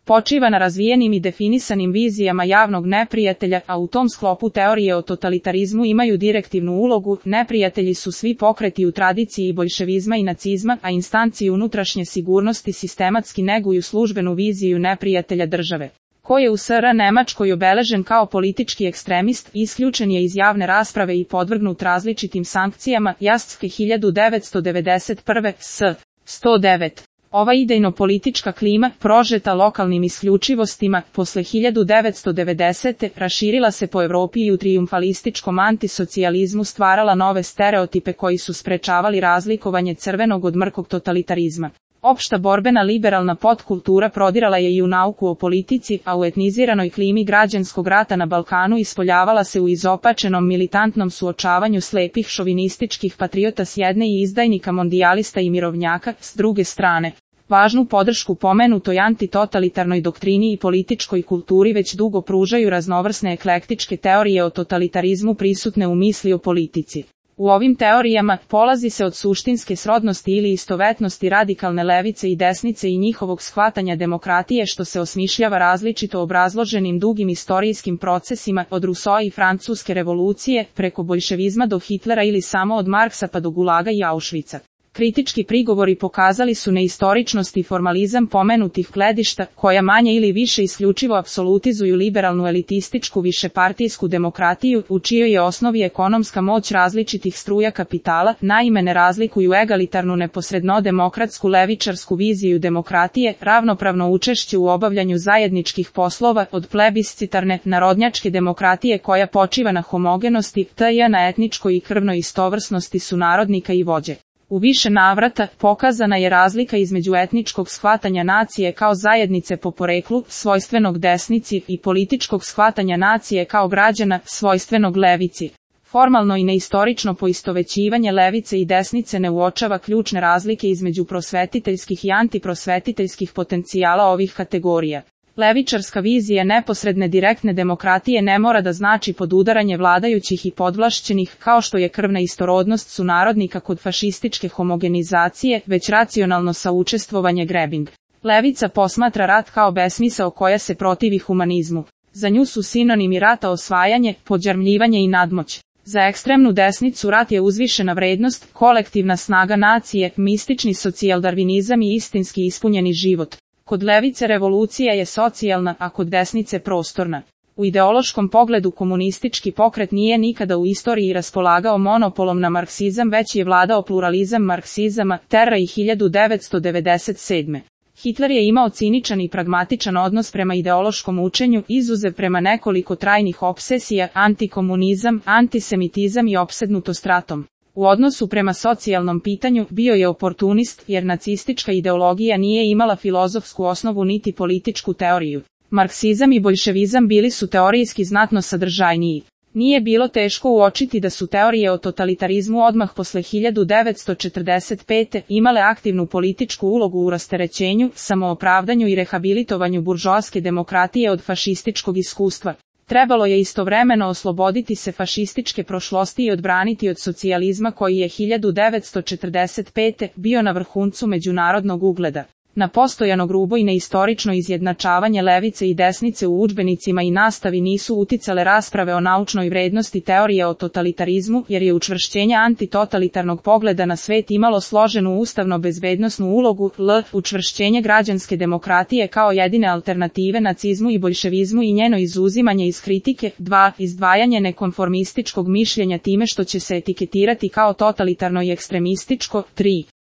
počiva na razvijenim i definisanim vizijama javnog neprijatelja, a u tom sklopu teorije o totalitarizmu imaju direktivnu ulogu. Neprijatelji su svi pokreti u tradiciji boljševizma i nacizma, a instanci unutrašnje sigurnosti sistematski neguju službenu viziju neprijatelja države, koji je u SR Nemačkoj obeležen kao politički ekstremist, isključen je iz javne rasprave i podvrgnut različitim sankcijama. Jaske 1991. s. 109. Ova idejno-politička klima, prožeta lokalnim isključivostima, posle 1990. raširila se po Evropi i u trijumfalističkom antisocijalizmu stvarala nove stereotipe koji su sprečavali razlikovanje crvenog od mrkog totalitarizma. Opšta borbena liberalna podkultura prodirala je i u nauku o politici, a u etniziranoj klimi građanskog rata na Balkanu ispoljavala se u izopačenom militantnom suočavanju slepih šovinističkih patriota s jedne i izdajnika mondijalista i mirovnjaka s druge strane. Važnu podršku pomenutoj antitotalitarnoj doktrini i političkoj kulturi već dugo pružaju raznovrsne eklektičke teorije o totalitarizmu prisutne u misli o politici. U ovim teorijama polazi se od suštinske srodnosti ili istovetnosti radikalne levice i desnice i njihovog shvatanja demokratije što se osmišljava različito obrazloženim dugim istorijskim procesima od Rousseau i Francuske revolucije preko boljševizma do Hitlera ili samo od Marksa pa do Gulaga i Auschwitza. Kritički prigovori pokazali su neistoričnost i formalizam pomenutih gledišta, koja manje ili više isključivo apsolutizuju liberalnu elitističku višepartijsku demokratiju, u čijoj je osnovi ekonomska moć različitih struja kapitala, naime ne razlikuju egalitarnu neposredno demokratsku levičarsku viziju demokratije, ravnopravno učešće u obavljanju zajedničkih poslova, od plebiscitarne, narodnjačke demokratije koja počiva na homogenosti, t.j. na etničkoj i krvnoj istovrsnosti sunarodnika i vođe. U više navrata pokazana je razlika između etničkog shvatanja nacije kao zajednice po poreklu, svojstvenog desnici, i političkog shvatanja nacije kao građana, svojstvenog levici. Formalno i neistorično poistovećivanje levice i desnice ne uočava ključne razlike između prosvetiteljskih i antiprosvetiteljskih potencijala ovih kategorija. Levičarska vizija neposredne direktne demokratije ne mora da znači podudaranje vladajućih i podvlašćenih, kao što je krvna istorodnost sunarodnika kod fašističke homogenizacije, već racionalno saučestvovanje Grebing. Levica posmatra rat kao besmisao koja se protivi humanizmu. Za nju su sinonimi rata osvajanje, podjarmljivanje i nadmoć. Za ekstremnu desnicu rat je uzvišena vrednost, kolektivna snaga nacije, mistični socijaldarvinizam i istinski ispunjeni život. Kod levice revolucija je socijalna, a kod desnice prostorna. U ideološkom pogledu komunistički pokret nije nikada u istoriji raspolagao monopolom na marksizam, već je vladao pluralizam marksizama, Terra i 1997. Hitler je imao ciničan i pragmatičan odnos prema ideološkom učenju, izuzev prema nekoliko trajnih opsesija, antikomunizam, antisemitizam i opsednutost ratom. U odnosu prema socijalnom pitanju bio je oportunist, jer nacistička ideologija nije imala filozofsku osnovu niti političku teoriju. Marksizam i boljševizam bili su teorijski znatno sadržajniji. Nije bilo teško uočiti da su teorije o totalitarizmu odmah posle 1945. imale aktivnu političku ulogu u rasterećenju, samoopravdanju i rehabilitovanju buržoaske demokratije od fašističkog iskustva. Trebalo je istovremeno osloboditi se fašističke prošlosti i odbraniti od socijalizma koji je 1945. bio na vrhuncu međunarodnog ugleda. Na postojano grubo i neistorično izjednačavanje levice i desnice u udžbenicima i nastavi nisu uticale rasprave o naučnoj vrednosti teorije o totalitarizmu, jer je učvršćenje antitotalitarnog pogleda na svet imalo složenu ustavno-bezbednosnu ulogu, učvršćenje građanske demokratije kao jedine alternative nacizmu i boljševizmu i njeno izuzimanje iz kritike, 2. Izdvajanje nekonformističkog mišljenja time što će se etiketirati kao totalitarno i ekstremističko, 3.